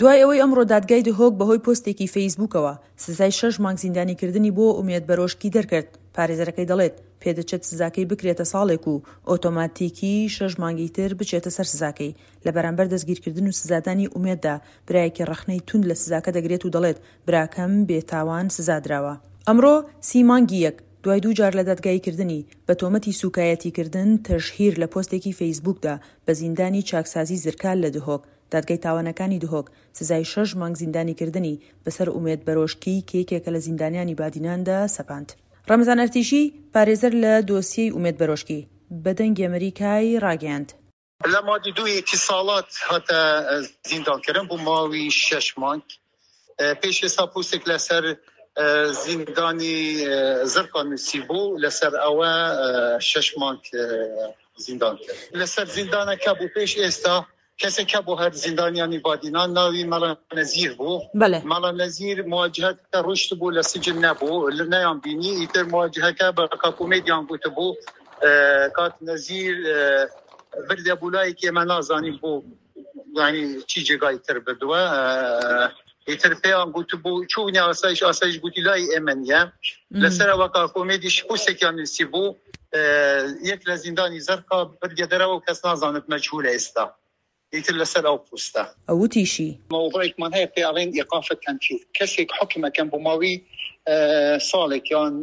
دوای ئەوەی ئەمڕۆ دادگای دهۆک بەهۆی پۆستێکی فەیسبووکەوە سزای شەش مانگ زیندانیکردنی بۆ ئومێد بەرۆشکی دەرکرد، پارێزەرەکەی دەڵێت، پێدەچێت سزاکەی بکرێتە ساڵێک و ئۆتۆماتیکی شەش مانگی تر بچێتە سەر سزاکەی. لە بەرامبەر دەستگیرکردن و سزادانی ئومێددا برایەکی ڕەخنەی توند لە سزاکە دەگرێت و دەڵێت، براکەم بێتاوان سزادراوە. ئەمڕۆ سی مانگی یەک، دوای دوو جار لە دادگاییکردنی، بە تۆمەتی سووکایەتیکردن، تەشهیر، لە پۆستێکی فەیسبووکدا بە زیندانی چاکسازی زرکال لە دهۆک، دادگای تاوانەکانی دهۆک سزای شەش مانگ زیندانیکردنی بەسەر ئومێد بەرۆشکی کە یەکێکە لە زیندانیانی بادیناندا سەپاند. ڕەمەزان ئەرتیشی، پارێزەر لە دۆسیەی ئومێد بەرۆشکی، بە دەنگی ئەمریکای ڕاگەیاند. لە مادی دووی ئیتیساڵات هاتە زیندان کردن بۆ ماوی شەش مانگ. پێش ئێستا پوستێک لەسەر زیندانی زرقا نووسیبوو، لەسەر ئەوە شەش مانگ زیندان کرد. لەسەر زیندانەکە بوو پێش ئێستا کەسێک هەبوو هەر زیندانیانی بادینان ناوی مەلا نەزیر بوو. بەلێ. مەلا نەزیر مواجهەکە ڕۆیشتبوو لە سجن نەبوو نەیان بینی ئیتر مواجهەکە بە کاک ئومێدیان گوتبوو کاک نەزیر بردە بۆ لایەک ئێمە نازانین بۆ یعنی چی جێگای تر بردووە ئیتر پێیان گوتبوو چوونی ئاسایش ئاسایش گوتی لای ئێمە نییە لەسەرەوە کاک ئومێدیش پوستێکیان نووسی بوو یەک لە زیندانی زەرقا بردیە دەرەوە و کەس نازانێت مەجهولە ئێستا ئیتر لەسەر ئەو پوستە. ئەو وتیشی. مەوزوعێکمان هەیە پێی ئەڵێن ئیقاف التنفیذ کەسێک حوکم ئەکەن بۆ ماوەی ساڵێک یان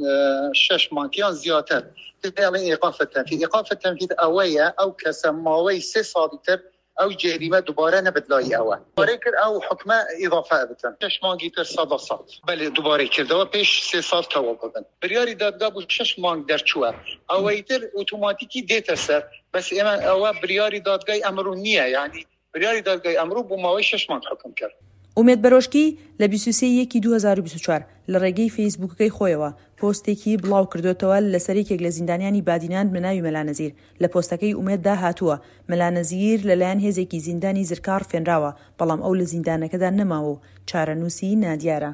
شەش مانگ یان زیاتر پێی ئەڵێن ئیقاف التنفیذ ئیقاف التنفیذ ئەوەیە ئەو کەسە ماوەی سێ ساڵی تر ئەو جەریمە دوبارە نەبت لای ئەوە دوبارەی کرد ئەو حوکمە ئیضافە ئەبتن شەش مانگی تر سەدا سەد. بەلێ دوبارەی کردەوە پێش سێ ساڵ تەواو ببن بریاری دادگا بوو شەش مانگ دەرچووە ئەوەی تر ئوتوماتیکی دێتە سەر بەس ئێمە ئەوە بریاری دادگای ئەمرو نییە یانی بریاری دادگای ئەمرو بۆ ماوەی شەش مانگ حوکم کرد. ئومێد بەرۆشکی لە 23 ی یەکی 2024 لە ڕێگەی فەیسبووکەکەی خۆیەوە پۆستێکی بڵاوکردۆتەوە لەسەر یەکێک لە زیندانیانی بادینان بەناوی مەلا نەزیر لە پۆستەکەی ئومێددا هاتووە، مەلا نەزیر لەلایەن هێزێکی زیندانی زرکا ڕفێنراوە، بەڵام ئەو لە زیندانەکەدا نەماوە و چارەنووسی نادیارە.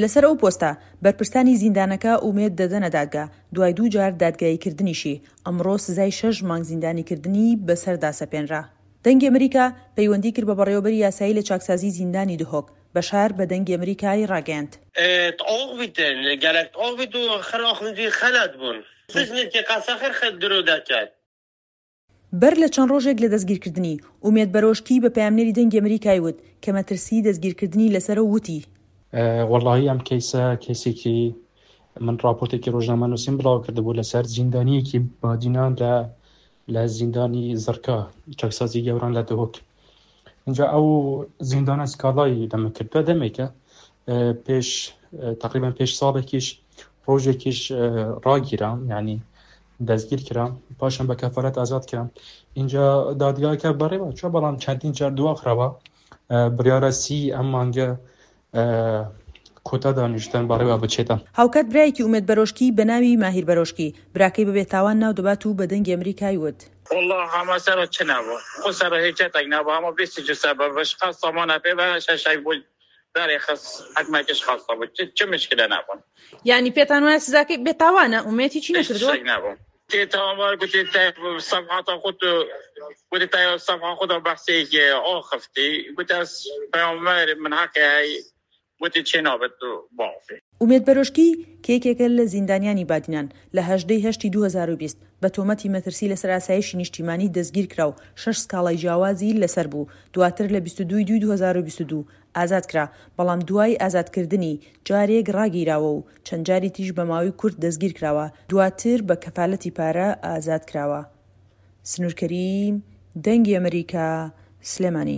لەسەر ئەو پۆستە، بەرپرسانی زیندانەکە ئومێد دەدەنە دادگا، دوای دوو جار دادگاییکردنیشی، ئەمڕۆ سزای شەش مانگ زیندانیکردنی بەسەردا سەپێنرا. دەنگی ئەمریکا پەیوەندی کرد بە بەڕێوەبەری یاسایی لە چاکسازیی زیندانی دهۆک، بەشار بە دەنگی ئەمریکای ڕاگەیاند. بەر لە چەند ڕۆژێک لە دەستگیرکردنی، ئومێد بەرۆشکی بە پەیامنێری دەنگی ئەمریکای وت کە مەترسیی دەستگیرکردنی لەسەرە و وتی. وەڵاهی ئەم کەیسە کەیسێکی من ڕاپۆرتێکی ڕۆژنامەنووسیم بڵاو کردبوو لەسەر زیندانییەکی بادینان لە لە زیندانی زڕکا چاکسازی گەوران لە دهۆک اینجا ئەو زیندانە سکاڵای لەمە کردووە دەمێکە پێش تقریبا پێش ساڵێکیش ڕۆژێکیش ڕاگیرام یعنی دەستگیر کرام پاشان بە کەفالەت ئازاد کرام اینجا دادگاکە بەڕێوە چوە بەڵام چەندین جار دواخراوە بڕیارە سی ئەم مانگە کۆتا دانیشتن بەڕێوە بچێتە. هاوکات برایەکی ئومێد بەرۆشکی بە ناوی ماهیر بەرۆشکی، براکەی بە بێتاوان ناو دەبات و بە دەنگی ئەمریکای وت. وەڵا هەمە سەرە چ نەبوو خو سەرە هیچەتەک نەبوو هەمە بیست جسە بە بەش خەستە مانە پێ بە شەشەک بوو دارێ خس حکمەکەش خەستە بوو چ مشکلە نەبوون. یانی پێتان وایە سزاکەی بێتاوانە ئومێد هیچی نەکردووە؟ هیچ شتێک نەبوو. تێ تاوانبار گوتی تای سەفحاتە خۆت گوتی تای سەفحە خۆتە بەحسێکی ئاخفتی گوتی ئەس پەیامبەر من حەقی هەی گوتی چێ نابێت باخفی. ئومێد بەرۆشکی کە یەکێکە لە زیندانیانی بادینان، لە 18 ی هەشتی 2020 بە تۆمەتی مەترسی لەسەر ئاسایشی نیشتیمانی دەستگیرکرا و شەش سکاڵای جیاوازی لەسەر بوو، دواتر لە 22 ی دووی 2022 ئازاد کرا، بەڵام دوای ئازادکردنی جارێک ڕاگیراوە و چەند جاری تریش بە ماوەی کورت دەستگیرکراوە، دواتر بە کەفالەتی پارە ئازاد کراوە. سنوور کەریم، دەنگی ئەمریکا، سلێمانی.